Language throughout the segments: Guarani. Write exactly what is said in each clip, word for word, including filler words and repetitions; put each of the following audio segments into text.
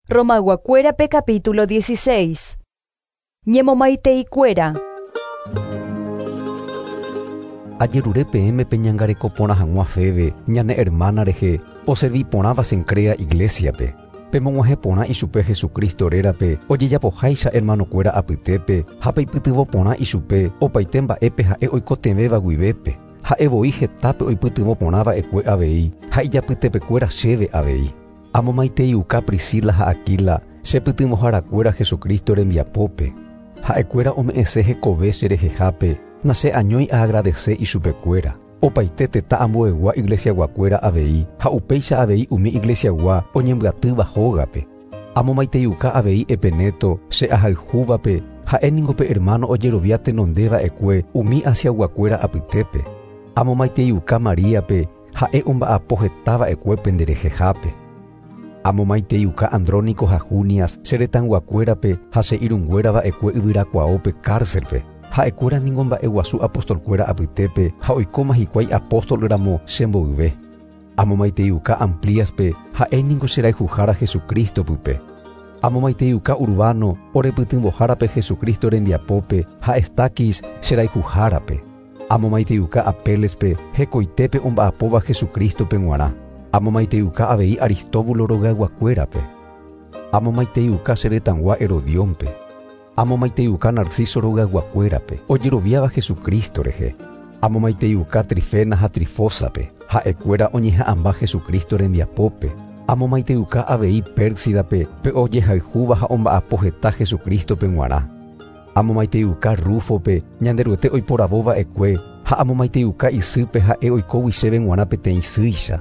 Romayguakuérape capítulo dieciséis. Ñemomaiteikuéra. Ajerure peẽme peñangareko porã hag̃ua Febe, ñane hermana rehe, oservi porãva Cencrea iglesiape. Pemog̃uahẽ porã ichupe Jesucristo rérape, ojejapoháicha hermanokuéra apytépe, ha peipytyvõ porã ichupe, opaite mba'épe ha'e oikotevẽva guivépe. Ha'e voi hetápe oipytyvõ porã va'ekue avei, ha ijapytepekuéra chéve avei. Amomaiteiuka Priscila ha Aquila, chepytyvõharakuéra Jesucristo rembiapópe. Ha'ekuéra ome'ẽse hekove cherehehápe, nase añói aagradece ichupekuéra. Opaite tetã ambuegua iglesiaguakuéra avei, ha upéicha avei umi iglesiagua oñembyatýva hógape. Amomaiteiuka avei Epeneto, che ahayhúvape, ha'e ningo pe hermano ojerovia tenondeva'ekue umi Asiaguakuéra apytépe. Amomaiteiuka Maríape, ha'e omba'apo hetava'ekue penderehehápe. Amomaiteiuka Andrónico ha Junias, che retãyguakuérape ha che irũnguérava'ekue yvyrakuaópe cárcelpe. Ha'ekuéra ningo mba'eguasu apostolkuéra apytépe ha oikóma hikuái apóstol ramo chemboyve. Amomaiteiuka Ampliaspe, ha'e ningo cherayhuhára Jesucristo pype. Amomaiteiuka Urbano, orepytyvõhárape Jesucristo rembiapópe ha Estaquis cherayhuhárape. Amomaiteiuka Apelespe, hekoitépe omba'apóva Jesucristope g̃uarã. Amomaiteiuka avei Aristóbulo rogayguakuérape. Amomaiteiuka che retãgua Herodiónpe. Amomaiteiuka Narciso rogayguakuérape, ojeroviáva Jesucristo rehe. Amomaiteiuka Trifena ha Trifósape, ha'ekuéra oñeha'ãmba Jesucristo rembiapópe. Amomaiteiuka avei Pérsidape, pe ojehayhúva ha omba'apo heta Jesucristope g̃uarã. Amomaiteiuka Rufope, Ñanderuete oiporavóva'ekue, ha amomaiteiuka isýpe ha'e oikógui chéve g̃uarã peteĩ sýicha.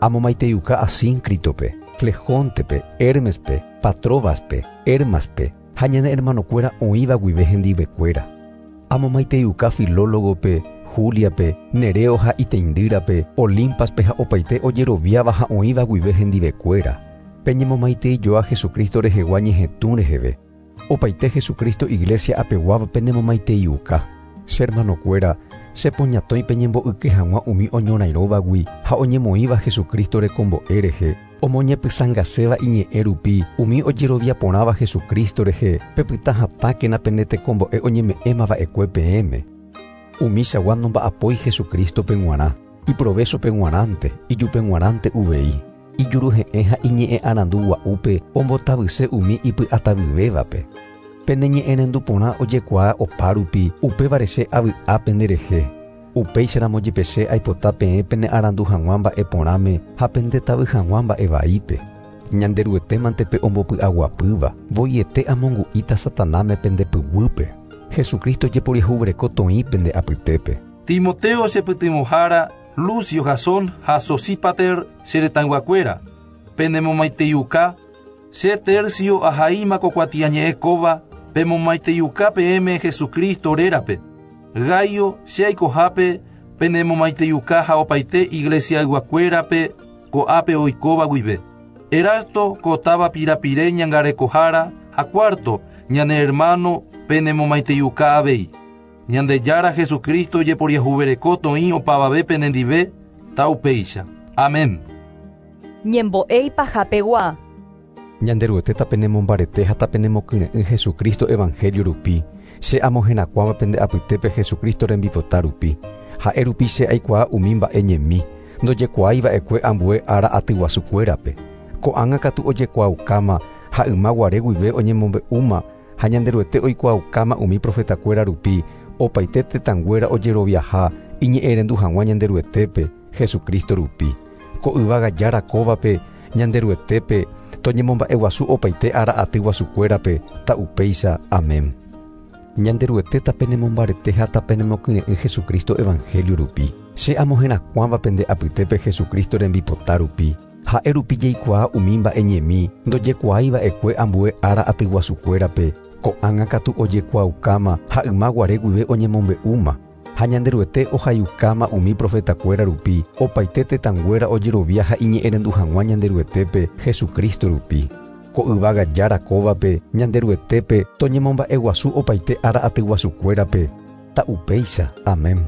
Amomaiteiuka Asíncritope, Flejóntepe, Hermespe, Patróbaspe, Hermaspe, ha ñane hermanokuéra oĩva guive hendivekuéra. Amomaiteiuka Filólogope, Juliape, Nereo ha iteindýrape, Olimpaspe ha opaite ojeroviáva ha oĩva guive hendivekuéra. Peñemomaiteijoa Jesucristo rehegua ñehetũ reheve. Opaite Jesucristo iglesia apeguáva penemomaiteiuka. Che hermanokuéra, chepoñatõi peñembo'yke hag̃ua umi oñorairõvagui ha oñemoĩva Jesucristo rekombo'e rehe, omoñepysãngaséva iñe'ẽ rupi umi ojerovia porãva Jesucristo rehe, pepyta hatãkena pene tekombo'e oñeme'ẽmava'ekue peẽme. Umi chagua nomba'apói Jesucristope g̃uarã, iprovéchope g̃uarãnte, ijupe g̃uarãnte uvei. Ijuruhe'ẽ ha iñe'ẽ arandu gua'úpe ombotavyse umi ipy'atavyvévape. Pene ñe'ẽrendu porã ojekuaa opa rupi, upévare che avy'a penderehe. Upéicharamo jepe che aipota peẽ pene arandu hag̃ua mba'e porãme ha pendetavy hag̃ua mba'e vaípe. Ñanderuetémante pe ombopy'aguapýva, voiete amongu'íta Satanáme pendepyguýpe. Jesucristo jeporiahuvereko toĩ pende apytépe. Timoteo chepytyvõhára, Lucio Jasón ha Sosípater che retãyguakuéra, penemomaiteiuka, che Tercio ahaíma ko kuatiañe'ẽ kóva, pemomaiteiuka peẽme Jesucristo rérape. Gaio che aikohápe penemomaiteiuka ha opaite iglesiayguakuérape ko'ápe oikóva guive. Erasto kotáva pirapire ñangarekohára ha cuarto ñane hermano penemomaiteiuka avei. Ñandejára Jesucristo jeporiahuvereko toĩ opavave penendive, taupéicha. Amén. Ñembo'e ipahapegua. Ñanderuete tapenemombarete ha tapenemokyre'ỹ Jesucristo evangelio rupi, che amoherakuãva pende apytépe Jesucristo rembipota rupi. Ha'e rupi che aikuaa umi mba'e ñemi, ndojekuaáiva'ekue ambue ára atyguasukuérape. Ko'ág̃a katu ojekuaaukáma ha yma guare guive oñemombe'úma ha Ñanderuete oikuaaukáma umi profetakuéra rupi, opaite tetãnguéra ojeroviaha iñe'ẽrendu hag̃ua Ñanderuetépe Jesucristo rupi. Ko yvága jára kóvape Ñanderuetépe toñemomba'eguasu opaite ára atyguasukuérape ta'upéicha. Amén. Ñanderuete tapenemombarete ha tapenemokyre'ỹ Jesucristo evangelio rupi. Che amoherakuãva pende apytépe Jesucristo rembipota rupi. Ha'e rupi jaikuaa umi mba'e ñemi ndojekuaáiva'ekue ambue ára atyguasukuérape, ko'ág̃a katu ojekuaaukáma ha yma guare guive oñemombe'úma. Ha Ñanderuete ohayukáma umi profetakuéra rupi, opaite tetãnguéra ojerovia ha iñe'ẽrendu hag̃ua Ñanderuetépe Jesucristo rupi. Ko yvága jára kóvape Ñanderuetépe toñemomba'eguasu opaite ára atyguasukuérape. Ta'upéicha. Amén.